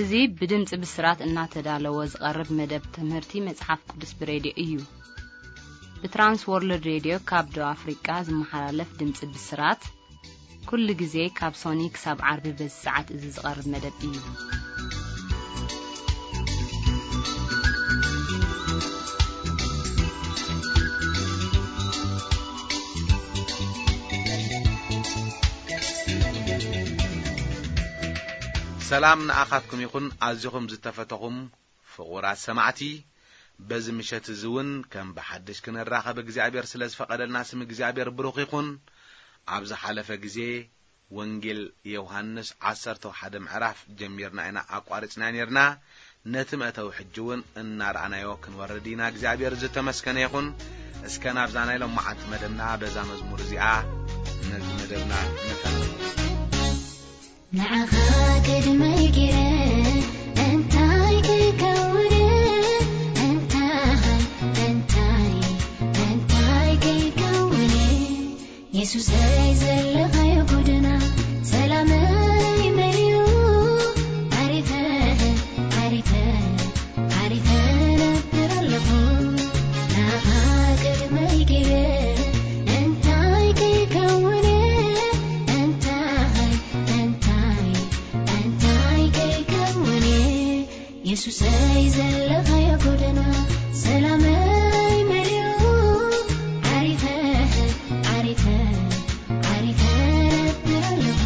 እዚ ብድምጺ ብስራት እናተዳለወ ዝቐርብ መደብ ትምህርቲ መጽሓፍ ቅዱስ ብሬድዮ እዩ። ብትራንስ ወርልድ ሬድዮ ካብ ደቡብ ኣፍሪቃ ዝመሓላለፍ ድምጺ ብስራት፣ ኩሉ ግዜ ካብ ሶኒ ክሳብ ዓርቢ በዚ ሰዓት እዚ ዝቐርብ መደብ እዩ። ሰላም ንኣኻትኩም ይኹን፣ ኣዚኹም ዝተፈተኹም ፍቑራት ሰማዕቲ። በዚ ምሸት እዚ እውን ከም ብሓድሽ ክንራኸብ እግዚኣብሔር ስለ ዝፈቐደልና ስም እግዚኣብሔር ብሩኽ ይኹን። ኣብ ዝሓለፈ ግዜ ወንጌል ዮሃንስ ዓሰርተ ሓደ ምዕራፍ ጀሚርና ኢና ኣቋሪጽና ነርና። ነቲ መእተዊ ሕጂ እውን እናረኣናዮ ክንወርድ ኢና። እግዚኣብሔር ዝተመስገነ ይኹን። እስከ ናብዛ ናይ ሎማዓንቲ መደብና በዛ መዝሙር እዚኣ ነዚ መደብና ንኸ ንዓኻ ቅድመይ ገይረ እንታይ ከይከውን፣ እንታይ፣ እንታይ፣ እንታይ ከይከውን፣ የሱሰይ ዘለኻዮ ጎደና ሰላመይ መሊኡ፣ ዓሪፈ፣ ዓሪፈ፣ ዓሪፈ ነብር ኣለኹ። ንዓኻ ቅድመይ ገይረ እንታይ ከይከውን፣ እንታይ፣ እንታይ፣ እንታይ ከይከውን፣ የሱሰይ ዘለኻዮ ጎደና ሰላመይ መሊኡ፣ ዓሪፈ፣ ዓሪፈ፣ ዓሪፈ ነብር ኣለኹ።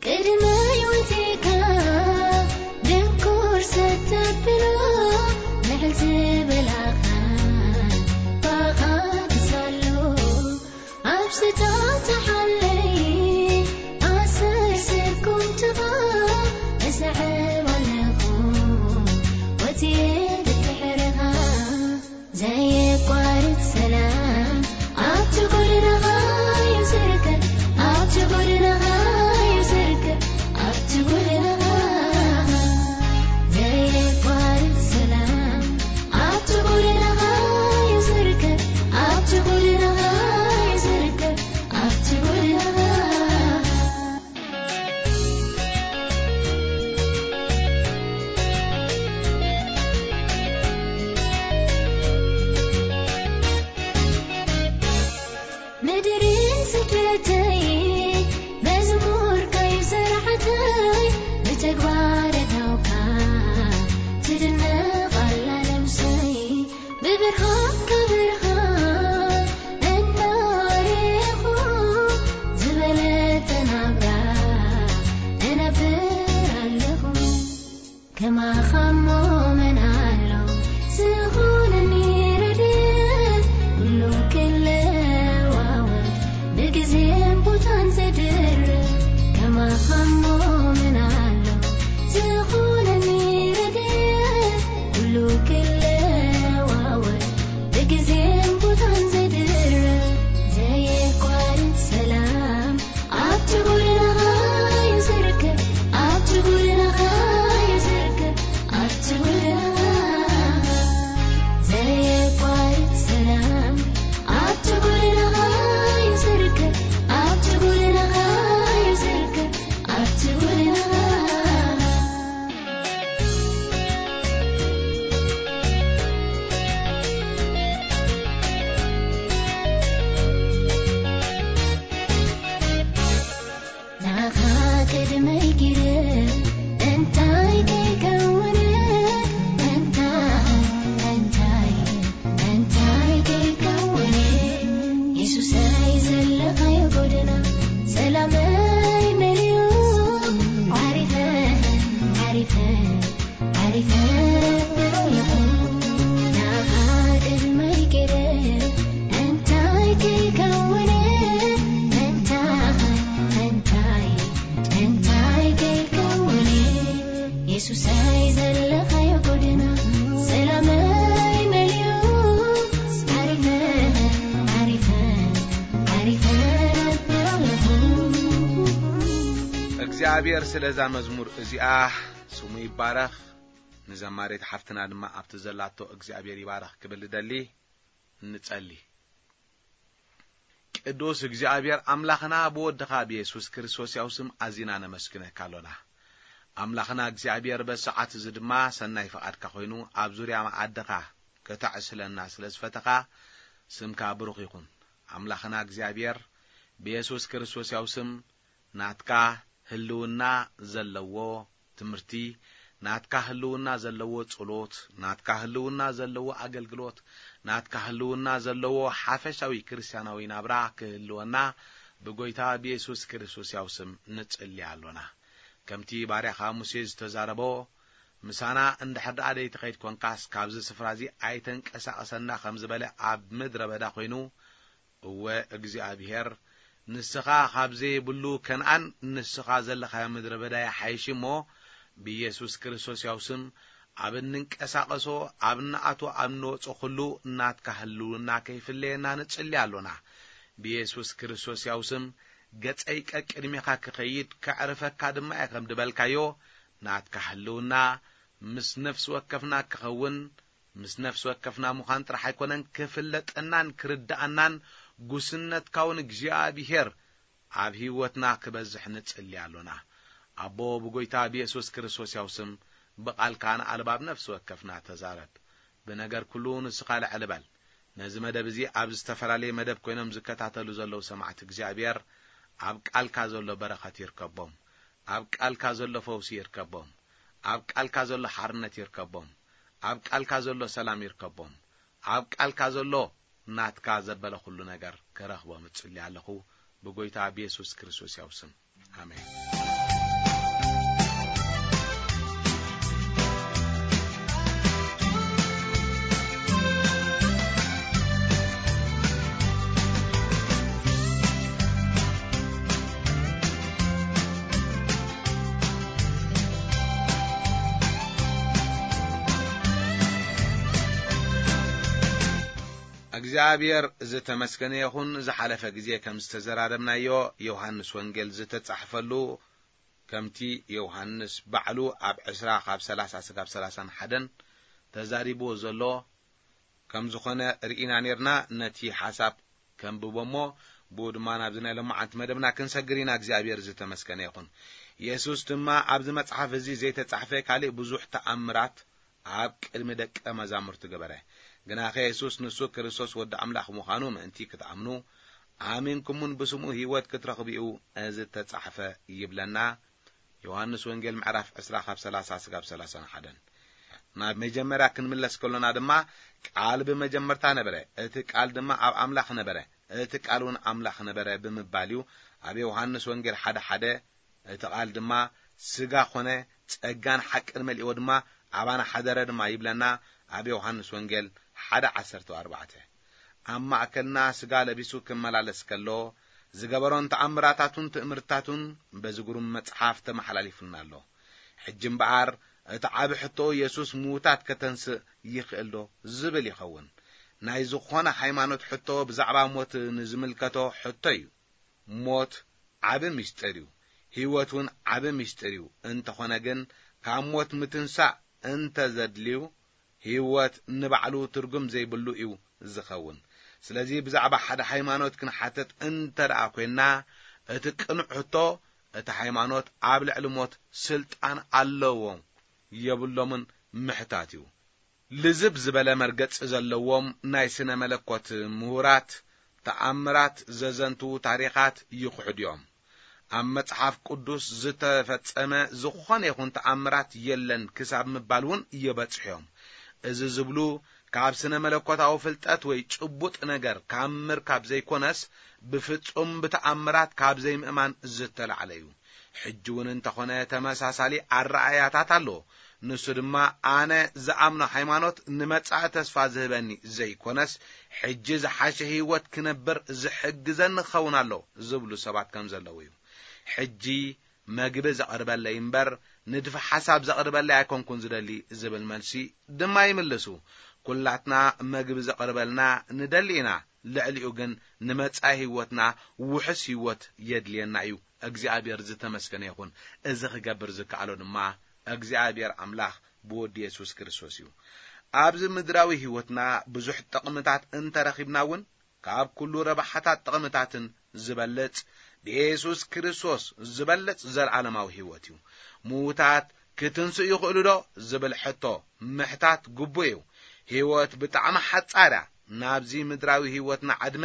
ቅድመይ ወጺእካ ድንኩር ሰብ ተብሎ፣ ልዕል ዝበላኻ ብኣኻ ክሳሎ፣ ኣብ ስታተሓለይ ኣሰር ስርኩም ትኻ፣ እሰዕብ ኣለኹ ወጺኤ ድድሕርኻ። ዘየቋርጽ ሰላም ኣብቲ ጎደናኻ እዩ ዝርከብ፣ ኣብቲ ጎደናኻ እዩ ዝርከብ፣ ኣብቲ ጎደናኻ። ዘየቋርጽ ሰላም ኣብቲ ጎደናኻ እዩ ዝርከብ፣ ኣብቲ ጎደናኻ እዩ ዝርከብ፣ ኣብቲ ጎደናኻ። ምድሪ ስደተይ መዝሙርካዩ ስራሕተይ ብተግባር እተውካ ትድነቕ ኣላ ነብሰይ። ብብርሃንካ ብርሃን እናረኹ ዝበለጸ ናብራ እነብር ኣለኹ። ከማኻ እሞ መን ኣሎ ዝኾነኒ ረድኤት፣ ኩሉ ክለዋወጥ ብግዜን ቦታን ዘድርብ። ከማኻ እሞ መን ኣሎ ዝኾነኒ ረድኤት፣ ኩሉ ክለዋወጥ ብግዜን ቦታን ዘድርብ። ዘየቋርጽ ሰላም ኣብቲ ጎደናኻ እዩ ዝርከብ፣ ኣብቲ ጎደናኻ እዩ ዝርከብ፣ ኣብቲ ጎደናኻ። ዘየቋርጽ ሰላም ኣብቲ ጎደናኻ እዩ ዝርከብ፣ ኣብቲ ጎደናኻ እዩ ዝርከብ፣ ኣብቲ ጎደናኻ። ንዓኻ ቅድመይ ገይረ እንታይ ከይከውን፣ እንታይ፣ እንታይ፣ እንታይ ከይከውን፣ የሱሰይ ዘለኻዮ ጎደና ሰላመይ መሊኡ፣ ዓሪፈ፣ ዓሪፈ፣ ዓሪፈ ኣለኹ። ንዓኻ ቅድመይ ገይረ እንታይ ከይከውን፣ እንታይ፣ እንታይ፣ እንታይ ከይከውን፣ የሱሰይ ዘለኻዮ ጎደና ሰላመይ መሊኡ፣ ዓሪፈ፣ ዓሪፈ፣ ዓሪፈ ኣለኹ። እግዚኣብሔር ስለዛ መዝሙር እዚኣ ስሙ ይባረኽ። ንዘማሪት ሓፍትና ድማ ኣብቲ ዘላቶ እግዚኣብሔር ይባርኽ ክብል እደሊ። ንጸሊ። ቅዱስ እግዚኣብሔር ኣምላኽና ብወድኻ ብየሱስ ክርስቶስ ያው ስም ኣዚና ነመስግነካ ኣሎና። ኣምላኽና እግዚኣብሔር በዚ ሰዓት እዚ ድማ ሰናይ ፍቓድካ ኮይኑ ኣብ ዙርያ መኣድኻ ከተዕስለና ስለ ዝፈተኻ ስምካ ብሩኽ ይኹን። ኣምላኽና እግዚኣብሔር ብየሱስ ክርስቶስ ያው ስም ናትካ ህልውና ዘለዎ ትምህርቲ፣ ናትካ ህልውና ዘለዎ ጸሎት፣ ናትካ ህልውና ዘለዎ ኣገልግሎት፣ ናትካ ህልውና ዘለዎ ሓፈሻዊ ክርስትያናዊ ናብራ ክህልወና ብጎይታ ብየሱስ ክርስቶስ ያው ስም ንጽሊ ኣሎና። ከምቲ ባርያኻ ሙሴ ዝተዛረቦ፣ ምሳና እንድሕር ደኣ ደይትኸይድ ኮንካስ፣ ካብዚ ስፍራ እዚ ኣይተንቀሳቐሰና ከም ዝበለ ኣብ ምድረ በዳ ኮይኑ፣ እወ እግዚኣብሔር፣ ንስኻ ካብ ዘይብሉ ከነኣን ንስኻ ዘለኻዮ ምድረ በዳ ይሓይሽ እሞ፣ ብኢየሱስ ክርስቶስ ያው ስም ኣብ እንንቀሳቐሶ፣ ኣብ እንኣትዎ፣ ኣብ እንወጾ ኩሉ ናትካ ህልውና ከይፍለየና ንጽሊ ኣሎና። ብኢየሱስ ክርስቶስ ያው ስም ገጸይ ቀቅድሜኻ ክኸይድ ከዕርፈካ ድማ እየ ከም ድበልካዮ፣ ናትካ ህልውና ምስ ነፍሲ ወከፍና ክኸውን፣ ምስ ነፍሲ ወከፍና ምዃን ጥራሕ ኣይኮነን፣ ክፍለጠናን ክርድኣናን ጉስነትካ እውን እግዚኣብሔር ኣብ ህይወትና ክበዝሕ ንጽሊ ኣሎና። ኣቦ ብጎይታ ብየሱስ ክርስቶስ ያው ስም ብቓልካ ንኣልባብ ነፍሲ ወከፍና ተዛረብ። ብነገር ኩሉ ንስኻ ልዕል በል። ነዚ መደብ እዚ ኣብ ዝተፈላለየ መደብ ኮይኖም ዝከታተሉ ዘለዉ ሰማዕቲ እግዚኣብሔር ኣብ ቃልካ ዘሎ በረኸት ይርከቦም። ኣብ ቃልካ ዘሎ ፈውሲ ይርከቦም። ኣብ ቃልካ ዘሎ ሓርነት ይርከቦም። ኣብ ቃልካ ዘሎ ሰላም ይርከቦም። ኣብ ቃልካ ዘሎ ናትካ ዘበለ ኩሉ ነገር ክረኽቦም እጽሊ ኣለኹ ብጎይታ ብየሱስ ክርስቶስ ያው ስም። ኣሜን። እግዚኣብሔር ዝተመስገነ ይኹን። ዝሓለፈ ግዜ ከም ዝተዘራረብናዮ፣ ዮሃንስ ወንጌል ዝተጻሕፈሉ፣ ከምቲ ዮሃንስ ባዕሉ ኣብ ዕስራ ካብ ሠላሳ ስጋብ ሠላሳን ሓደን ተዛሪብዎ ዘሎ ከም ዝኾነ ርኢና ኔርና። ነቲ ሓሳብ ከንብቦ እሞ፣ ብኡ ድማ ናብዚ ናይ ሎማዓንቲ መደብና ክንሰግር ኢና። እግዚኣብሔር ዝተመስገነ ይኹን። የሱስ ድማ፣ ኣብዚ መጽሓፍ እዚ ዘይተጻሕፈ ካልእ ብዙሕ ተኣምራት ኣብ ቅድሚ ደቀ መዛሙርቱ ገበረ። ግናኸ የሱስ ንሱ ክርስቶስ ወዲ ኣምላኽ ምዃኑ ምእንቲ ክትኣምኑ፣ ኣሚንኩምን ብስሙ ህይወት ክትረኽቡ እዩ እዚ እተጻሕፈ ይብለና። ዮሃንስ ወንጌል ምዕራፍ ዕስራ ካብ ሠላሳ ስጋብ ሠላሳን ሓደን። ናብ መጀመርያ ክንምለስ ከሎና ድማ፣ ቃል ብመጀመርታ ነበረ፣ እቲ ቃል ድማ ኣብ ኣምላኽ ነበረ፣ እቲ ቃል እውን ኣምላኽ ነበረ ብምባል እዩ። ኣብ ዮሃንስ ወንጌል ሓደ ሓደ፣ እቲ ቃል ድማ ስጋ ኾነ፣ ጸጋን ሓቅን መሊእዎ ድማ ኣባና ሓደረ ድማ ይብለና ኣብ ዮሃንስ ወንጌል ሓደ ዓሰርተ ኣርባዕተ። ኣብ ማእከልና ስጋ ለቢሱ ክመላለስ ከሎ ዝገበሮን ተኣምራታቱን ትእምርታቱን በዚ ግሩም መጽሓፍ ተመሓላሊፉልና ኣሎ። ሕጂ እምበኣር እቲ ዓቢ ሕቶ፣ የሱስ ምዉታት ከተንስእ ይኽእል ዶ ዝብል ይኸውን። ናይ ዝኾነ ሃይማኖት ሕቶ ብዛዕባ ሞት ንዝምልከቶ ሕቶ እዩ። ሞት ዓቢ ምስጢር እዩ። ህይወት እውን ዓቢ ምስጢር እዩ። እንተኾነ ግን፣ ካብ ሞት ምትንሳእ እንተ ዘድልዩ፣ ህይወት ንባዕሉ ትርጉም ዘይብሉ እዩ ዝኸውን። ስለዚ ብዛዕባ ሓደ ሃይማኖት ክንሓትት እንተ ደኣ ኮይንና፣ እቲ ቅኑዕ ሕቶ፣ እቲ ሃይማኖት ኣብ ልዕሊ ሞት ስልጣን ኣለዎ የብሎምን ምሕታት እዩ። ልዝብ ዝበለ መርገጺ ዘለዎም ናይ ስነ መለኮት ምሁራት፣ ተኣምራት ዘዘንትዉ ታሪኻት ይኽሕዱ እዮም። ኣብ መጽሓፍ ቅዱስ ዝተፈጸመ ዝኾነ ይኹን ተኣምራት የለን ክሳብ ምባል እውን ይበጽሑ እዮም። እዚ ዝብሉ፣ ካብ ስነ መለኮታዊ ፍልጠት ወይ ጭቡጥ ነገር ካብ ምርካብ ዘይኮነስ፣ ብፍጹም ብተኣምራት ካብ ዘይምእማን ዝተላዕለ እዩ። ሕጂ እውን እንተኾነ ተመሳሳሊ ኣረኣእያታት ኣሎ። ንሱ ድማ፣ ኣነ ዝኣምኖ ሃይማኖት ንመጻኢ ተስፋ ዝህበኒ ዘይኮነስ፣ ሕጂ ዝሓሸ ህይወት ክነብር ዝሕግዘኒ ክኸውን ኣሎ ዝብሉ ሰባት ከም ዘለዉ እዩ። ሕጂ መግቢ ዘቕርበለይ እምበር፣ ንድፊ ሓሳብ ዘቕርበለይ ኣይኮንኩን ዝደሊ ዝብል መልሲ ድማ ይምልሱ። ኩላትና መግቢ ዘቕርበልና ንደሊ ኢና። ልዕሊኡ ግን ንመጻኢ ህይወትና ውሑስ ህይወት የድልየና እዩ። እግዚኣብሔር ዝተመስገነ ይኹን። እዚ ክገብር ዝከኣሎ ድማ እግዚኣብሔር ኣምላኽ ብወዲ የሱስ ክርስቶስ እዩ። ኣብዚ ምድራዊ ህይወትና ብዙሕ ጥቕምታት እንተረኺብና እውን፣ ካብ ኩሉ ረብሓታት ጥቕምታትን ዝበልጽ፣ ብየሱስ ክርስቶስ ዝበልጽ ዘለዓለማዊ ህይወት እዩ። ምዉታት ክትንስኡ ይኽእሉ ዶ ዝብል ሕቶ ምሕታት ግቡእ እዩ። ህይወት ብጣዕሚ ሓጻር እያ። ናብዚ ምድራዊ ህይወትና ዕድመ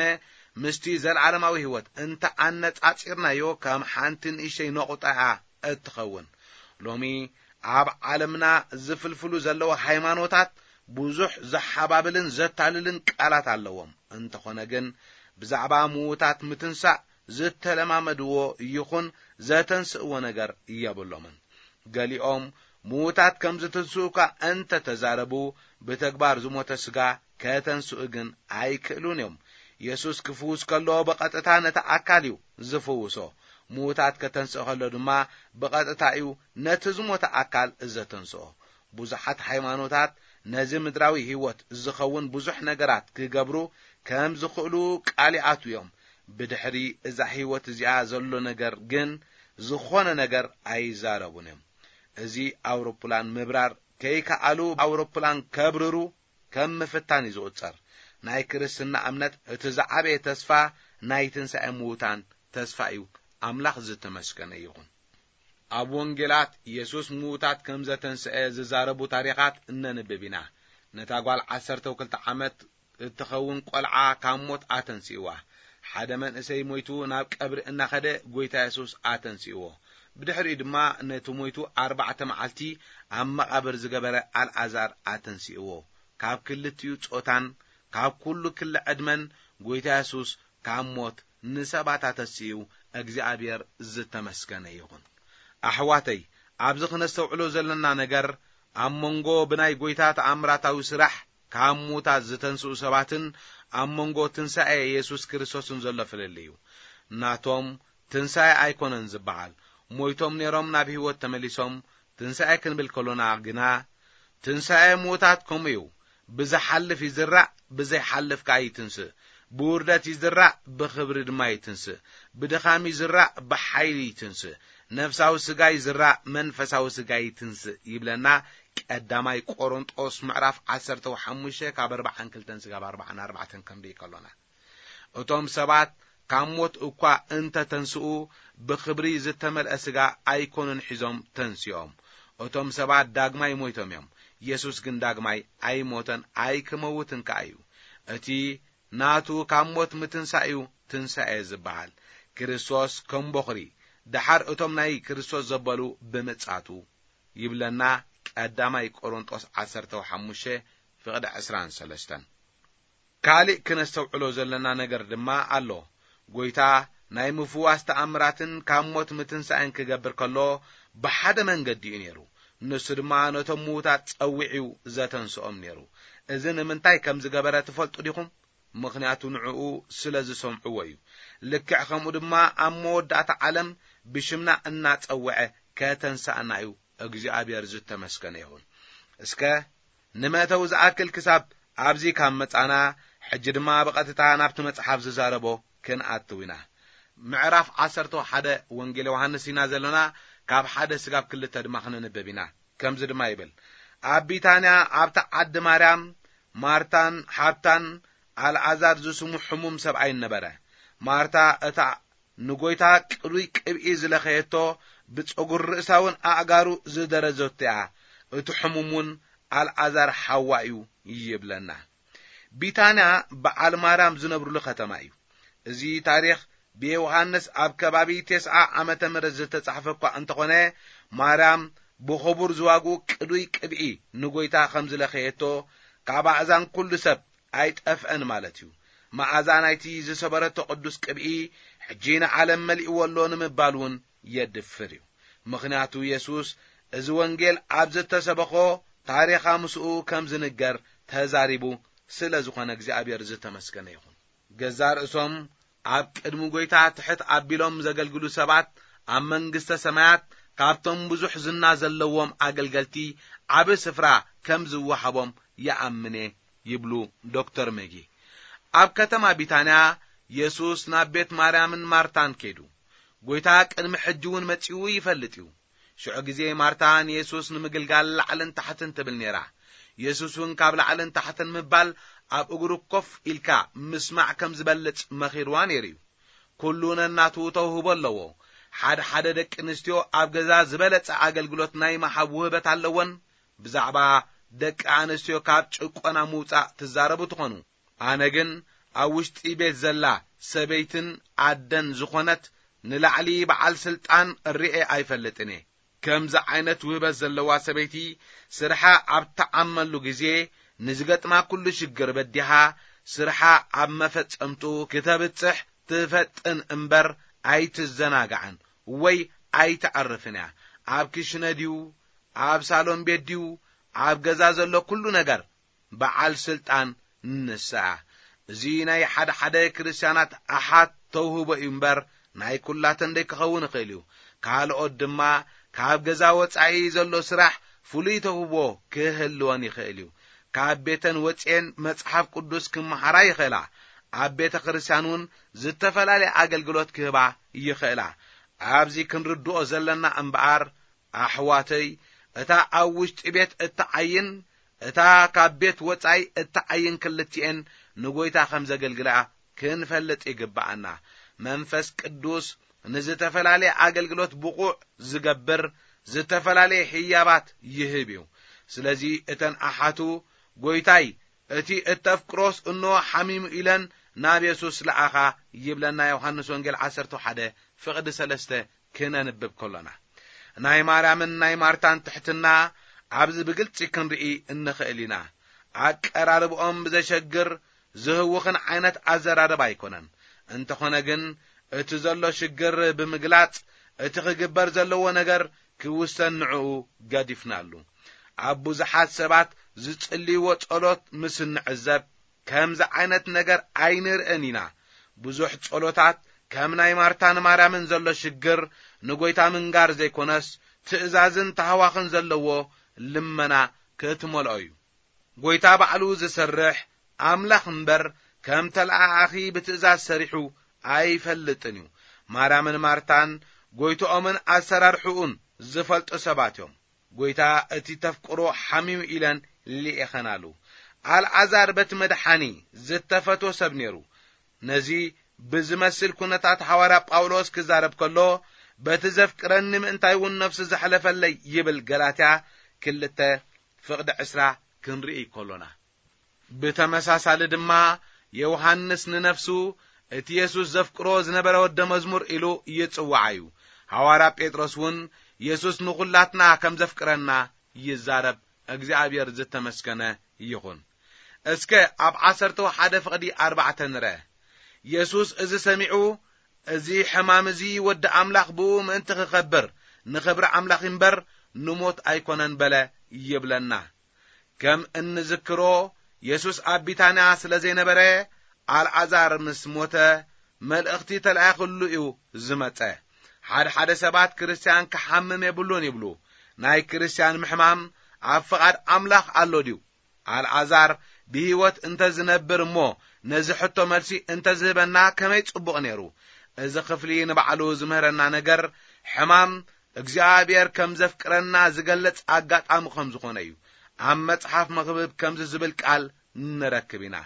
ምስቲ ዘለዓለማዊ ህይወት እንተ ኣነጻጺርናዮ፣ ከም ሓንቲ ንእሽተይ ነቑጣ እያ እትኸውን። ሎሚ ኣብ ዓለምና ዝፍልፍሉ ዘለዉ ሃይማኖታት ብዙሕ ዘሓባብልን ዘታልልን ቃላት ኣለዎም። እንተኾነ ግን፣ ብዛዕባ ምዉታት ምትንሳእ ዝተለማመድዎ ይኹን ዘተንስእዎ ነገር የብሎምን። ገሊኦም ምዉታት ከም ዝትንስኡ እኳ እንተ ተዛረቡ፣ ብተግባር ዝሞተ ስጋ ከተንስኡ ግን ኣይክእሉን እዮም። የሱስ ክፍውስ ከሎ ብቐጥታ ነቲ ኣካል እዩ ዝፍውሶ። ምዉታት ከተንስእ ከሎ ድማ ብቐጥታ እዩ ነቲ ዝሞተ ኣካል ዘተንስኦ። ብዙሓት ሃይማኖታት ነዚ ምድራዊ ህይወት ዝኸውን ብዙሕ ነገራት ክገብሩ ከም ዝኽእሉ ቃል ይኣትዉ እዮም። ብድሕሪ እዛ ህይወት እዚኣ ዘሎ ነገር ግን ዝኾነ ነገር ኣይዛረቡን እዮም። እዚ ኣውሮፕላን ምብራር ከይከኣሉ ኣውሮፕላን ከብርሩ ከም ምፍታን እዩ ዝቑጸር። ናይ ክርስትና እምነት እቲ ዝዓበየ ተስፋ ናይ ትንሳኤ ምዉታን ተስፋ እዩ። ኣምላኽ ዝተመስገነ ይኹን። ኣብ ወንጌላት የሱስ ምዉታት ከም ዘተንስአ ዝዛረቡ ታሪኻት እነንብብ ኢና። ነታ ጓል ዓሰርተ ክልተ ዓመት እትኸውን ቆልዓ ካብ ሞት ኣተንስእዋ። ሓደ መንእሰይ ሞይቱ ናብ ቀብሪ እናኸደ ጎይታ የሱስ ኣተንስእዎ። ብድሕሪኡ ድማ ነቲ ሞይቱ ኣርባዕተ መዓልቲ ኣብ መቓብር ዝገበረ ኣልኣዛር ኣተንስእዎ። ካብ ክልቲኡ ጾታን ካብ ኩሉ ክሊ ዕድመን ጎይታ የሱስ ካብ ሞት ንሰባት ኣተስኡ እግዚኣብሔር ዝተመስገነ ይኹን። ኣሕዋተይ፣ ኣብዚ ክነስተውዕሎ ዘለና ነገር ኣብ መንጎ ብናይ ጎይታ ተኣምራታዊ ስራሕ ካብ ሙታት ዝተንስኡ ሰባትን ኣብ መንጎ ትንሳኤ የሱስ ክርስቶስን ዘሎ ፍልልይ እዩ። ናቶም ትንሳኤ ኣይኮነን ዝበሃል። ሞይቶም ነይሮም ናብ ህይወት ተመሊሶም ትንሳኤ ክንብል ከሎና ግና፣ ትንሳኤ ምዉታት ከምኡ እዩ። ብዝሓልፍ ይዝራእ፣ ብዘይሓልፍ ከኣ ይትንስእ። ብውርደት ይዝራእ፣ ብኽብሪ ድማ ይትንስእ። ብድኻም ይዝራእ፣ ብሓይሊ ይትንስእ። ነፍሳዊ ስጋ ይዝራእ፣ መንፈሳዊ ስጋ ይትንስእ ይብለና። ቀዳማይ ቆሮንጦስ ምዕራፍ ዓሰርተ ሓሙሽተ ካብ ኣርባዓን ክልተን ስጋብ ኣርባዓን ኣርባዕተን ክንርኢ ከሎና፣ እቶም ሰባት ካብ ሞት እኳ እንተ ተንስኡ፣ ብኽብሪ ዝተመልአ ስጋ ኣይኮኑን ሒዞም ተንሲኦም። እቶም ሰባት ዳግማይ ሞይቶም እዮም። የሱስ ግን ዳግማይ ኣይሞተን፣ ኣይክመውትን ከኣ እዩ። እቲ ናቱ ካብ ሞት ምትንሳእ እዩ ትንሳኤ ዝበሃል። ክርስቶስ ከም ቦኽሪ፣ ደሓር እቶም ናይ ክርስቶስ ዘበሉ ብምጻቱ ይብለና። ቀዳማይ ቆሮንጦስ ዓሰርተ ሓሙሽተ ፍቕዲ ዕስራን ሰለስተን። ካልእ ክነስተውዕሎ ዘለና ነገር ድማ ኣሎ። ጎይታ ናይ ምፍዋስ ተኣምራትን ካብ ሞት ምትንሳእን ክገብር ከሎ ብሓደ መንገዲ እዩ ነይሩ። ንሱ ድማ ነቶም ምዉታት ጸዊዑ ዘተንስኦም ነይሩ። እዚ ንምንታይ ከም ዝገበረ ትፈልጡ ዲኹም? ምኽንያቱ ንዕኡ ስለ ዝሰምዕዎ እዩ። ልክዕ ከምኡ ድማ ኣብ መወዳእታ ዓለም ብሽምና እናጸውዐ ከተንስኣና እዩ እግዚኣብሔር ዝተመስገነ ይኹን። እስከ ንመእተዊ ዝኣክል ክሳብ ኣብዚ ካብ መጻና፣ ሕጂ ድማ ብቐጥታ ናብቲ መጽሓፍ ዝዛረቦ ክንኣትው ኢና። ምዕራፍ ዓሰርተ ሓደ ወንጌል ዮሃንስ ኢና ዘለና፣ ካብ ሓደ ስጋብ ክልተ ድማ ክነንብብ ኢና። ከምዚ ድማ ይብል፣ ኣብ ቢታንያ ኣብታ ዓዲ ማርያም፣ ማርታን ሓብታን ኣልዓዛር ዝስሙ ሕሙም ሰብኣይን ነበረ። ማርታ እታ ንጎይታ ቅዱይ ቅብኢ ዝለኸየቶ፣ ብጸጉሪ ርእሳውን ኣእጋሩ ዝደረዘቶ እያ። እቲ ሕሙም እውን ኣልዓዛር ሓዋ እዩ ይብለና። ቢታንያ በዓል ማርያም ዝነብሩሉ ከተማ እዩ። እዚ ታሪኽ ብዮሃንስ ኣብ ከባቢ ተስዓ ዓመተ ምህረት ዝተጻሕፈ እኳ እንተኾነ፣ ማርያም ብኽቡር ዝዋግኡ ቅዱይ ቅብኢ ንጎይታ ከም ዝለኸየቶ፣ ካብ ኣእዛን ኩሉ ሰብ ኣይጠፍአን ማለት እዩ። መኣዛ ናይቲ ዝሰበረቶ ቅዱስ ቅብኢ ሕጂ ንዓለም መሊእዎ ኣሎ ንምባል እውን የድፍር እዩ። ምኽንያቱ የሱስ እዚ ወንጌል ኣብ ዝተሰበኾ ታሪኻ ምስኡ ከም ዝንገር ተዛሪቡ ስለ ዝኾነ እግዚኣብሔር ዝተመስገነ ይኹን። ገዛ ርእሶም ኣብ ቅድሚ ጎይታ ትሕት ኣቢሎም ዘገልግሉ ሰባት ኣብ መንግስተ ሰማያት ካብቶም ብዙሕ ዝና ዘለዎም ኣገልገልቲ ዓቢ ስፍራ ከም ዝወሃቦም ይኣምነ ይብሉ ዶክተር መጊ። ኣብ ከተማ ቢታንያ የሱስ ናብ ቤት ማርያምን ማርታን ከይዱ። ጎይታ ቅድሚ ሕጂ እውን መጺኡ ይፈልጥ እዩ። ሽዑ ግዜ ማርታ ንየሱስ ንምግልጋል ላዕልን ታሕትን ትብል ነይራ። የሱስ እውን ካብ ላዕልን ታሕትን ምባል ኣብ እግሩ ኮፍ ኢልካ ምስማዕ ከም ዝበልጽ መኺርዋ ነይሩ እዩ። ኩሉ ነናቱ ተውህቦ ኣለዎ። ሓደ ሓደ ደቂ ኣንስትዮ ኣብ ገዛ ዝበለጸ ኣገልግሎት ናይ ምሃብ ውህበት ኣለወን። ብዛዕባ ደቂ ኣንስትዮ ካብ ጭቆና ምውጻእ ትዛረቡ ትኾኑ። ኣነ ግን ኣብ ውሽጢ ቤት ዘላ ሰበይትን ኣደን ዝኾነት ንላዕሊ በዓል ስልጣን ርኤ ኣይፈልጥን እየ። ከምዚ ዓይነት ውህበት ዘለዋ ሰበይቲ ስርሓ ኣብ ትዓመሉ ግዜ ንዝገጥማ ኩሉ ሽግር በዲሃ ስርሓ ኣብ መፈጸምቱ ክተብጽሕ ትፈጥን እምበር ኣይትዘናጋዕን ወይ ኣይትዕርፍን እያ። ኣብ ክሽነ ድዩ፣ ኣብ ሳሎን ቤት ድዩ፣ ኣብ ገዛ ዘሎ ኩሉ ነገር በዓል ስልጣን ንሳ እያ። እዚ ናይ ሓደ ሓደ ክርስትያናት ኣሓት ተውህቦ እዩ እምበር ናይ ኩላተን ደይክኸውን ይኽእል እዩ። ካልኦት ድማ ካብ ገዛ ወጻኢ ዘሎ ስራሕ ፍሉይ ተውህቦ ክህልወን ይኽእል እዩ። ካብ ቤተን ወጺኤን መጽሓፍ ቅዱስ ክመሃራ ይኽእላ። ኣብ ቤተ ክርስቲያን እውን ዝተፈላለየ ኣገልግሎት ክህባ ይኽእላ። ኣብዚ ክንርድኦ ዘለና እምበኣር ኣሕዋተይ፣ እታ ኣብ ውሽጢ ቤት እትዓይን እታ ካብ ቤት ወጻኢ እትዓይን ክልቲኤን ንጎይታ ከም ዘገልግላ ክንፈልጥ ይግብኣና። መንፈስ ቅዱስ ንዝተፈላለየ ኣገልግሎት ብቑዕ ዝገብር ዝተፈላለየ ህያባት ይህብ እዩ። ስለዚ እተን ኣሓቱ ጎይታይ እቲ እተፍቅሮስ እንሆ ሓሚሙ ኢለን ናብ የሱስ ለኣኻ ይብለና ዮሃንስ ወንጌል ዓሰርተ ሓደ ፍቕዲ ሰለስተ ክነንብብ ከሎና። ናይ ማርያምን ናይ ማርታን ትሕትና ኣብዚ ብግልጺ ክንርኢ እንኽእል ኢና። ኣቀራርብኦም ብዘሸግር ዝህውኽን ዓይነት ኣዘራርባ ኣይኮነን። እንተኾነ ግን እቲ ዘሎ ሽግር ብምግላጽ እቲ ክግበር ዘለዎ ነገር ክውሰን ንዕኡ ገዲፍናሉ። ኣብ ብዙሓት ሰባት ዝጽልይዎ ጸሎት ምስ እንዕዘብ ከምዚ ዓይነት ነገር ኣይንርእን ኢና። ብዙሕ ጸሎታት ከም ናይ ማርታን ማርያምን ዘሎ ሽግር ንጎይታ ምንጋር ዘይኮነስ ትእዛዝን ታህዋኽን ዘለዎ ልመና ክትመልኦ እዩ። ጎይታ ባዕሉ ዝሰርሕ ኣምላኽ እምበር ከም ተለኣኣኺ ብትእዛዝ ሰሪሑ ኣይፈልጥን እዩ። ማርያምን ማርታን ጎይትኦምን ኣሰራርሕኡን ዝፈልጡ ሰባት እዮም። ጎይታ እቲ ተፍቅሮ ሓሚሙ ኢለን ልኢኸናሉ። ኣልዓዛር በቲ መድሓኒ ዝተፈትወ ሰብ ነይሩ። ነዚ ብዝመስል ኩነታት ሓዋርያ ጳውሎስ ክዛረብ ከሎ በቲ ዘፍቅረኒ ምእንታይ እውን ነፍሱ ዘሕለፈለይ ይብል። ገላትያ ክልተ ፍቕዲ ዕስራ ክንርኢ ከሎና። ብተመሳሳሊ ድማ ዮሃንስ ንነፍሱ እቲ የሱስ ዘፍቅሮ ዝነበረ ወደ መዝሙር ኢሉ ይጽውዓ እዩ። ሓዋርያ ጴጥሮስ እውን የሱስ ንኹላትና ከም ዘፍቅረና ይዛረብ። እግዚኣብሔር ዝተመስገነ ይኹን። እስከ ኣብ ዓሰርተ ሓደ ፍቕዲ ኣርባዕተ ንርአ። የሱስ እዚ ሰሚዑ፣ እዚ ሕማም እዚ ወዲ ኣምላኽ ብኡ ምእንቲ ክኸብር ንኽብሪ ኣምላኽ እምበር ንሞት ኣይኮነን በለ ይብለና። ከም እንዝክሮ የሱስ ኣብ ቢታንያ ስለ ዘይነበረ ኣልዓዛር ምስ ሞተ መልእኽቲ ተላኢኽሉ እዩ ዝመጸ። ሓደ ሓደ ሰባት ክርስትያን ክሓምም የብሉን ይብሉ። ናይ ክርስትያን ምሕማም ኣብ ፍቓድ ኣምላኽ ኣሎ ድዩ? ኣልዓዛር ብህይወት እንተ ዝነብር እሞ ነዚ ሕቶ መልሲ እንተ ዝህበና ከመይ ጽቡቕ ነይሩ። እዚ ክፍሊ ንባዕሉ ዝምህረና ነገር ሕማም እግዚኣብሔር ከም ዘፍቅረና ዝገልጽ ኣጋጣሚ ከም ዝኾነ እዩ። ኣብ መጽሓፍ መኽብብ ከምዚ ዝብል ቃል ንረክብ ኢና።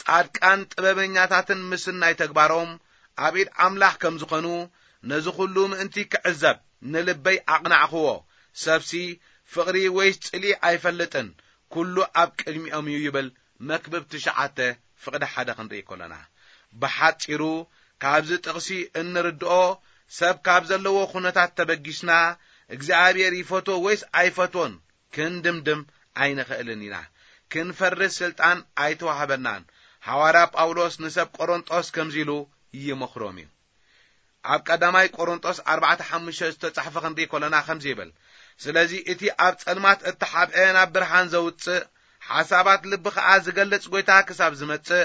ጻድቃን ጥበበኛታትን ምስናይ ተግባሮም ኣብ ኢድ ኣምላኽ ከም ዝኾኑ ነዚ ኩሉ ምእንቲ ክዕዘብ ንልበይ ኣቕናዕኽዎ። ሰብሲ ፍቕሪ ወይስ ጽልኢ ኣይፈልጥን፣ ኩሉ ኣብ ቅድሚኦም እዩ ይብል። መክብብ ትሽዓተ ፍቕዲ ሓደ ክንርኢ ከሎና። ብሓጺሩ ካብዚ ጥቕሲ እንርድኦ ሰብ ካብ ዘለዎ ኩነታት ተበጊስና እግዚኣብሔር ይፈትዎ ወይስ ኣይፈትዎን ክንድምድም ኣይንኽእልን ኢና። ክንፈርድ ስልጣን ኣይተዋህበናን። ሓዋርያ ጳውሎስ ንሰብ ቆሮንጦስ ከምዚ ኢሉ ይመኽሮም እዩ። ኣብ ቀዳማይ ቆሮንጦስ ኣርባዕተ ሓሙሽተ ዝተጻሕፈ ክንርኢ ከለና ከምዚ ይብል፣ ስለዚ እቲ ኣብ ጸልማት እተሓብአ ናብ ብርሃን ዘውጽእ፣ ሓሳባት ልቢ ኸኣ ዝገልጽ ጐይታ ክሳብ ዝመጽእ፣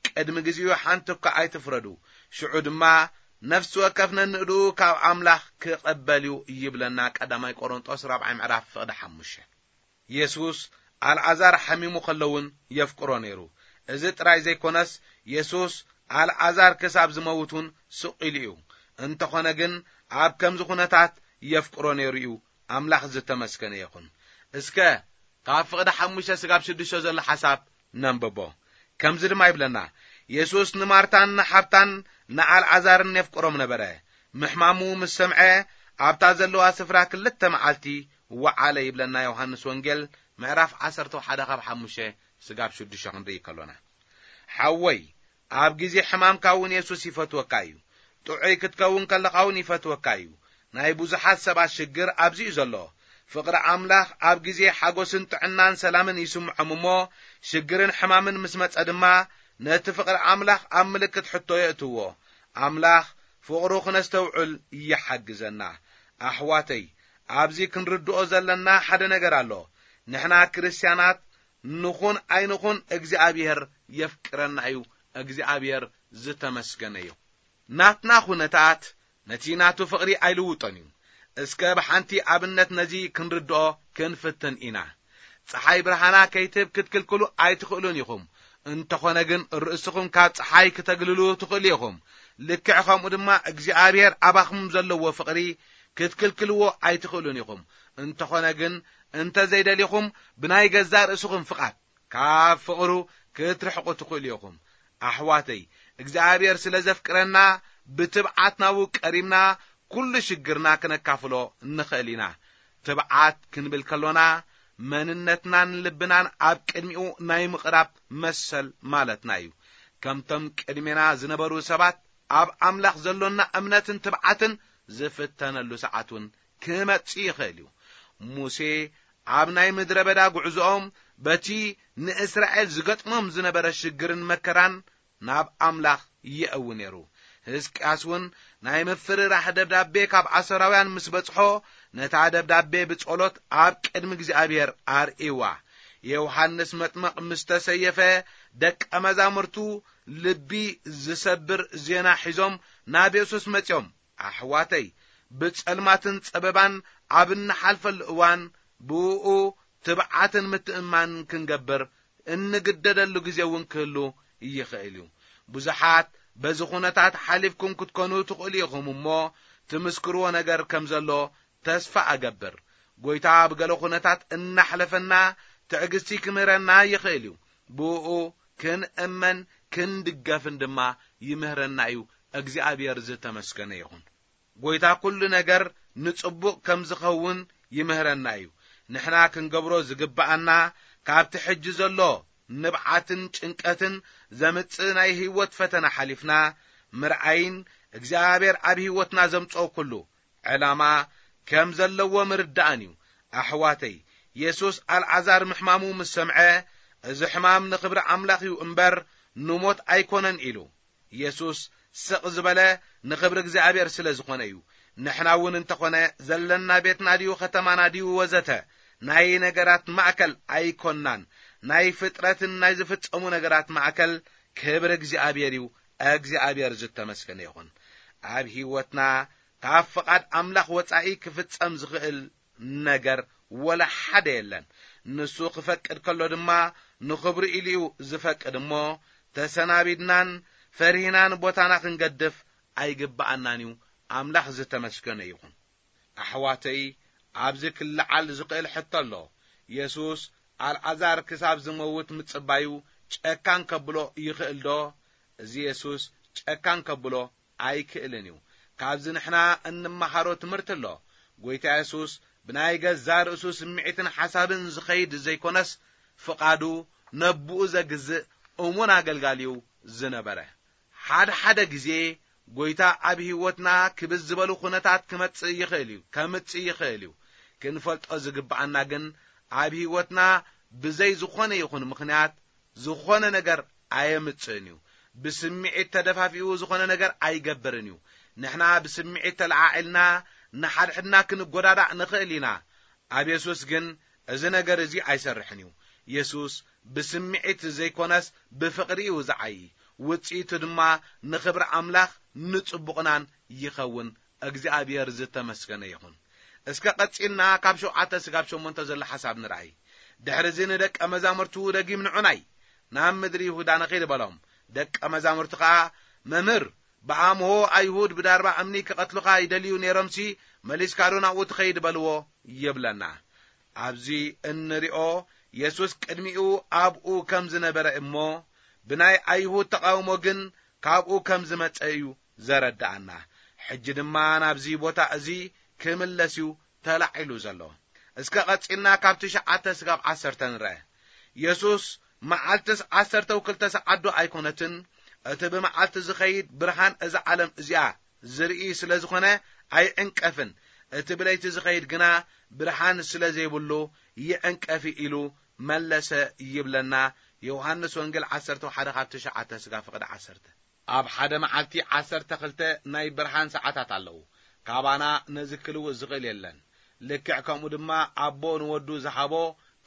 ቅድሚ ግዜኡ ሓንቲ እኳ ኣይትፍረዱ። ሽዑ ድማ ነፍሲ ወከፍ ነንእድኡ ካብ ኣምላኽ ክቐበል እዩ ይብለና። ቀዳማይ ቆሮንጦስ ራብዓይ ምዕራፍ ፍቕዲ ሓሙሽተ። የሱስ ኣልዓዛር ሓሚሙ ከሎ እውን የፍቅሮ ነይሩ። እዚ ጥራይ ዘይኮነስ፣ የሱስ ኣልዓዛር ክሳብ ዝመውት እውን ስቕ ኢሉ እዩ። እንተኾነ ግን፣ ኣብ ከምዚ ኹነታት የፍቅሮ ነይሩ እዩ። ኣምላኽ ዝተመስገነ ይኹን። እስከ ካብ ፍቕዲ ሓሙሽተ ስጋብ ሽዱሽተ ዘሎ ሓሳብ ነንብቦ። ከምዚ ድማ ይብለና፣ የሱስ ንማርታን ንሓብታን ንኣልዓዛርን የፍቅሮም ነበረ። ምሕማሙ ምስ ሰምዐ፣ ኣብታ ዘለዋ ስፍራ ክልተ መዓልቲ ወዓለ ይብለና ዮሃንስ ወንጌል ምዕራፍ ዓሰርተ ሓደ ካብ ሓሙሽተ ስጋብ ሽዱሽተ ክንርኢ ከሎና። ሓወይ፣ ኣብ ግዜ ሕማምካ እውን የሱስ ይፈትወካ እዩ። ጥዑይ ክትከውን ከለኻ እውን ይፈትወካ እዩ። ናይ ብዙሓት ሰባት ሽግር ኣብዚ እዩ ዘሎ። ፍቕሪ ኣምላኽ ኣብ ግዜ ሓጎስን ጥዕናን ሰላምን ይስምዖም እሞ፣ ሽግርን ሕማምን ምስ መጸ ድማ፣ ነቲ ፍቕሪ ኣምላኽ ኣብ ምልክት ሕቶ የእትዎ። ኣምላኽ ፍቕሩ ክነስተውዕል ይሓግዘና። ኣሕዋተይ፣ ኣብዚ ክንርድኦ ዘለና ሓደ ነገር ኣሎ። ንሕና ክርስትያናት ንኹን ኣይንኹን እግዚኣብሔር የፍቅረና እዩ። እግዚኣብሔር ዝተመስገነ እዩ። ናትና ኩነታት ነቲ ናቱ ፍቕሪ ኣይልውጦን እዩ። እስከ ብሓንቲ ኣብነት ነዚ ክንርድኦ ክንፍትን ኢና። ጸሓይ ብርሃና ከይትህብ ክትክልክሉ ኣይትኽእሉን ኢኹም። እንተኾነ ግን ርእስኹም ካብ ጸሓይ ክተግልሉ ትኽእሉ ኢኹም። ልክዕ ከምኡ ድማ እግዚኣብሔር ኣባኹም ዘለዎ ፍቕሪ ክትክልክልዎ ኣይትኽእሉን ኢኹም። እንተኾነ ግን እንተ ዘይደሊኹም ብናይ ገዛእ ርእስኹም ፍቓድ ካብ ፍቕሩ ክትርሕቑ ትኽእሉ ኢኹም። ኣሕዋተይ፣ እግዚኣብሔር ስለ ዘፍቅረና ብትብዓት ናብኡ ቀሪብና ኩሉ ሽግርና ክነካፍሎ ንኽእል ኢና። ትብዓት ክንብል ከሎና መንነትናን ልብናን ኣብ ቅድሚኡ ናይ ምቕራብ መሰል ማለትና እዩ። ከምቶም ቅድሜና ዝነበሩ ሰባት ኣብ ኣምላኽ ዘሎና እምነትን ትብዓትን ዝፍተነሉ ሰዓት እውን ክመጽእ ይኽእል እዩ። ሙሴ ኣብ ናይ ምድረ በዳ ጉዕዞኦም በቲ ንእስራኤል ዝገጥሞም ዝነበረ ሽግርን መከራን ናብ ኣምላኽ ይእዊ ነይሩ። ህዝቅያስ እውን ናይ ምፍርራሕ ደብዳቤ ካብ ኣሶራውያን ምስ በጽሖ፣ ነታ ደብዳቤ ብጸሎት ኣብ ቅድሚ እግዚኣብሔር ኣርእይዋ። ዮሃንስ መጥምቕ ምስ ተሰየፈ፣ ደቀ መዛሙርቱ ልቢ ዝሰብር ዜና ሒዞም ናብ የሱስ መጺኦም። ኣሕዋተይ፣ ብጸልማትን ጸበባን ኣብ እንሓልፈሉ እዋን፣ ብእኡ ትብዓትን ምትእምማንን ክንገብር እንግደደሉ ግዜ እውን ክህሉ ይኽእል እዩ። ብዙሓት በዚ ኩነታት ሓሊፍኩም ክትኮኑ ትኽእሉ ኢኹም እሞ፣ ትምስክርዎ ነገር ከም ዘሎ ተስፋ እገብር። ጐይታ ኣብ ገለ ኩነታት እናሕለፈና ትዕግስቲ ክምህረና ይኽእል እዩ። ብእኡ ክንእመን ክንድገፍን ድማ ይምህረና እዩ። እግዚኣብሔር ዝተመስገነ ይኹን። ጐይታ ኩሉ ነገር ንጽቡቕ ከም ዝኸውን ይምህረና እዩ። ንሕና ክንገብሮ ዝግብኣና፣ ካብቲ ሕጂ ዘሎ ንብዓትን ጭንቀትን ዘምጽእ ናይ ህይወት ፈተና ሓሊፍና ምርኣይን እግዚኣብሔር ኣብ ህይወትና ዘምጽኦ ኩሉ ዕላማ ከም ዘለዎ ምርዳእን እዩ። ኣሕዋተይ፣ የሱስ ኣልዓዛር ምሕማሙ ምስ ሰምዐ፣ "እዚ ሕማም ንኽብሪ ኣምላኽ እዩ እምበር ንሞት ኣይኮነን" ኢሉ። የሱስ ስቕ ዝበለ ንኽብሪ እግዚኣብሔር ስለ ዝኾነ እዩ። ንሕና እውን እንተኾነ ዘለና ቤትና ድዩ ከተማና ድዩ ወዘተ ናይ ነገራት ማእከል ኣይኮንናን። ናይ ፍጥረትን ናይ ዝፍጸሙ ነገራት ማእከል ክብሪ እግዚኣብሔር እዩ። እግዚኣብሔር ዝተመስገነ ይኹን። ኣብ ህይወትና ካብ ፍቓድ ኣምላኽ ወጻኢ ክፍጸም ዝኽእል ነገር ወላ ሓደ የለን። ንሱ ክፈቅድ ከሎ ድማ ንኽብሩ ኢሉ እዩ ዝፈቅድ እሞ፣ ተሰናቢድናን ፈሪህናን ቦታና ክንገድፍ ኣይግብኣናን እዩ። ኣምላኽ ዝተመስገነ ይኹን። ኣሕዋተይ፣ ኣብዚ ክለዓል ዝኽእል ሕቶ ኣሎ። የሱስ ኣልዓዛር ክሳብ ዝመውት ምጽባዩ ጨካን ከብሎ ይኽእል ዶ? እዚ የሱስ ጨካን ከብሎ ኣይክእልን እዩ። ካብዚ ንሕና እንመሃሮ ትምህርቲ ኣሎ። ጐይታ የሱስ ብናይ ገዛ ርእሱ ስምዒትን ሓሳብን ዝኸይድ ዘይኮነስ፣ ፍቓዱ ነብኡ ዘግዝእ እሙን ኣገልጋሊ እዩ ዝነበረ። ሓደ ሓደ ግዜ ጐይታ ኣብ ህይወትና ክብዝ ዝበሉ ኩነታት ክመጽእ ይኽእል እዩ፣ ከምጽእ ይኽእል እዩ። ክንፈልጦ ዝግብኣና ግን ኣብ ህይወትና ብዘይ ዝኾነ ይኹን ምኽንያት ዝኾነ ነገር ኣየምጽእን እዩ። ብስምዒት ተደፋፊኡ ዝኾነ ነገር ኣይገብርን እዩ። ንሕና ብስምዒት ተለዓዒልና ንሓድሕድና ክንጎዳዳእ ንኽእል ኢና። ኣብ የሱስ ግን እዚ ነገር እዚ ኣይሰርሕን እዩ። የሱስ ብስምዒት ዘይኮነስ ብፍቕሪ እዩ ዝዓዪ። ውጽኢቱ ድማ ንኽብሪ ኣምላኽ ንጽቡቕናን ይኸውን። እግዚኣብሔር ዝተመስገነ ይኹን። እስከ ቀጺልና ካብ ሸውዓተ ስጋብ ሸሞንተ ዘሎ ሓሳብ ንርኣይ። ድሕሪ እዚ ንደቀ መዛሙርቱ ደጊም ንዑናይ ናብ ምድሪ ይሁዳ ንኺድ በሎም። ደቀ መዛሙርቲ ኸኣ፣ "መምህር፣ ብኣምሆ ኣይሁድ ብዳርባ እምኒ ክቐትሉኻ ይደልዩ ነይሮምሲ፣ መሊስካ ዶ ናብኡ ትኸይድ በልዎ ይብለና። ኣብዚ እንሪኦ፣ የሱስ ቅድሚኡ ኣብኡ ከም ዝነበረ እሞ፣ ብናይ ኣይሁድ ተቓውሞ ግን ካብኡ ከም ዝመጸ እዩ ዘረድኣና። ሕጂ ድማ ናብዚ ቦታ እዚ ክምለስ እዩ ተላዒሉ ዘሎ። እስከ ቀጺልና ካብ ትሽዓተ ስጋብ ዓሰርተ ንርአ። የሱስ መዓልትስ ዓሰርተ ክልተ ሰዓት ዶ ኣይኮነትን? እቲ ብመዓልቲ ዝኸይድ ብርሃን እዛ ዓለም እዚኣ ዝርኢ ስለ ዝኾነ ኣይዕንቀፍን። እቲ ብለይቲ ዝኸይድ ግና ብርሃን ስለ ዘይብሉ ይዕንቀፍ ኢሉ መለሰ ይብለና። ዮሃንስ ወንጌል ዓሰርተ ሓደ ካብ ትሽዓተ ስጋ ፍቕዲ ዓሰርተ። ኣብ ሓደ መዓልቲ ዓሰርተ ክልተ ናይ ብርሃን ሰዓታት ኣለዉ። ካባና ነዚ ክልውጥ ዝኽእል የለን። ልክዕ ከምኡ ድማ ኣቦ ንወዱ ዝሃቦ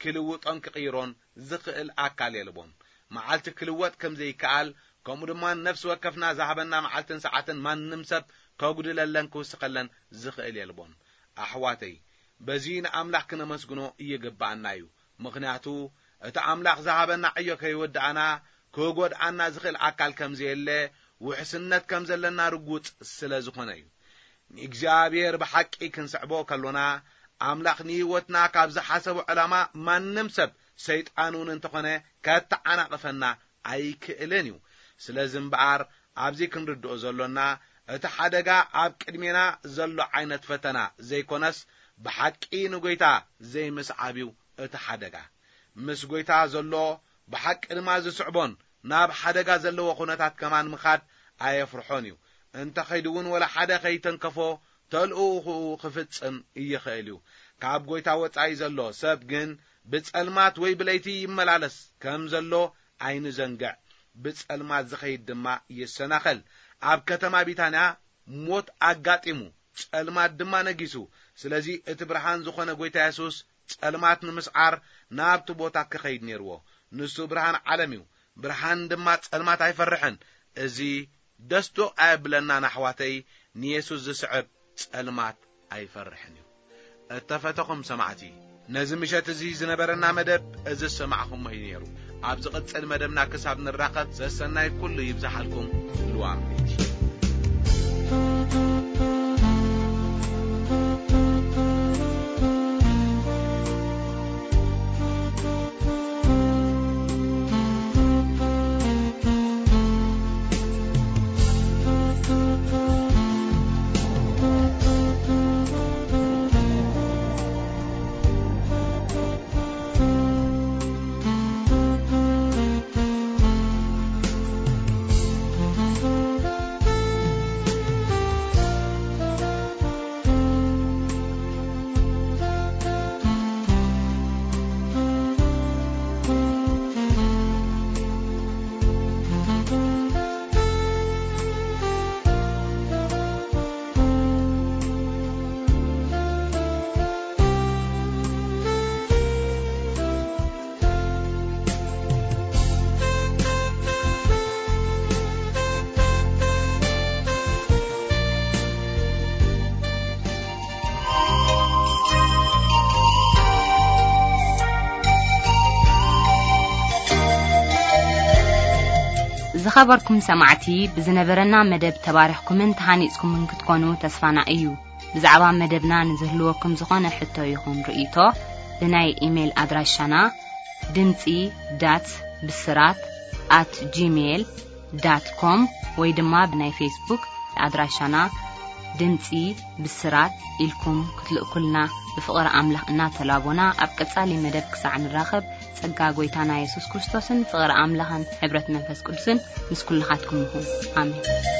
ክልውጦን ክቕይሮን ዝኽእል ኣካል የልቦን። መዓልቲ ክልወጥ ከም ዘይከኣል፣ ከምኡ ድማ ነፍሲ ወከፍና ዝሃበና መዓልትን ሰዓትን ማንም ሰብ ከጉድለለን ክውስኸለን ዝኽእል የልቦን። ኣሕዋተይ፣ በዚ ንኣምላኽ ክነመስግኖ ይግብኣና እዩ። ምኽንያቱ፣ እቲ ኣምላኽ ዝሃበና ዕዮ ከይወድኣና፣ ክጎድኣና ዝኽእል ኣካል ከም ዘየለ፣ ውሕስነት ከም ዘለና ርጉጽ ስለ ዝኾነ እዩ። ንእግዚኣብሔር ብሓቂ ክንስዕቦ ከሎና፣ ኣምላኽ ንህይወትና ካብ ዝሓሰቦ ዕላማ ማንም ሰብ፣ ሰይጣን እውን እንተኾነ፣ ከተዓናቕፈና ኣይክእልን እዩ። ስለዚ እምበኣር፣ ኣብዚ ክንርድኦ ዘሎና፣ እቲ ሓደጋ ኣብ ቅድሜና ዘሎ ዓይነት ፈተና ዘይኮነስ፣ ብሓቂ ንጎይታ ዘይምስዓብ እዩ እቲ ሓደጋ። ምስ ጎይታ ዘሎ ብሓቂ ድማ ዝስዕቦን ናብ ሓደጋ ዘለዎ ኩነታት ከማን ምኻድ ኣየፍርሖን እዩ። እንተ ኸይዱ እውን ወላ ሓደ ኸይተንከፎ ተልእኹኡ ክፍጽም ይኽእል እዩ። ካብ ጎይታ ወጻኢ ዘሎ ሰብ ግን ብጸልማት ወይ ብለይቲ ይመላለስ ከም ዘሎ ኣይንዘንግዕ። ብጸልማት ዝኸይድ ድማ ይሰናኸል። ኣብ ከተማ ቢታንያ ሞት ኣጋጢሙ፣ ጸልማት ድማ ነጊሱ። ስለዚ እቲ ብርሃን ዝኾነ ጎይታ የሱስ ጸልማት ንምስዓር ናብቲ ቦታ ክኸይድ ነይርዎ። ንሱ ብርሃን ዓለም እዩ። ብርሃን ድማ ጸልማት ኣይፈርሕን። እዚ ደስ ዶ ኣየብለናን ኣሕዋተይ? ንየሱስ ዝስዕብ ጸልማት ኣይፈርሕን እዩ። እተፈተኹም ሰማዕቲ፣ ነዚ ምሸት እዚ ዝነበረና መደብ እዚ ዝሰማዕኹሞ እዩ ነይሩ። ኣብ ዝቕጽል መደብና ክሳብ ንራኸብ፣ ዘሰናይ ኩሉ ይብዝሓልኩም። ልዋም ቤት። ዝኸበርኩም ሰማዕቲ፣ ብዝነበረና መደብ ተባሪኽኩምን ተሃኒጽኩምን ክትኮኑ ተስፋና እዩ። ብዛዕባ መደብና ንዝህልወኩም ዝኾነ ሕቶ ይኹን ርእይቶ፣ ብናይ ኢሜይል ኣድራሻና ድምጺ ዳት ብስራት ኣት ጂሜይል ዳት ኮም ወይ ድማ ብናይ ፌስቡክ ኣድራሻና ድምጺ ብስራት ኢልኩም ክትልእኩልና ብፍቕሪ ኣምላኽ እናተላቦና፣ ኣብ ቀጻሊ መደብ ክሳዕ ንራኸብ፣ ጸጋ ጐይታና የሱስ ክርስቶስን ፍቕሪ ኣምላኽን ሕብረት መንፈስ ቅዱስን ምስ ኩልኻትኩም ይኹን። ኣሜን።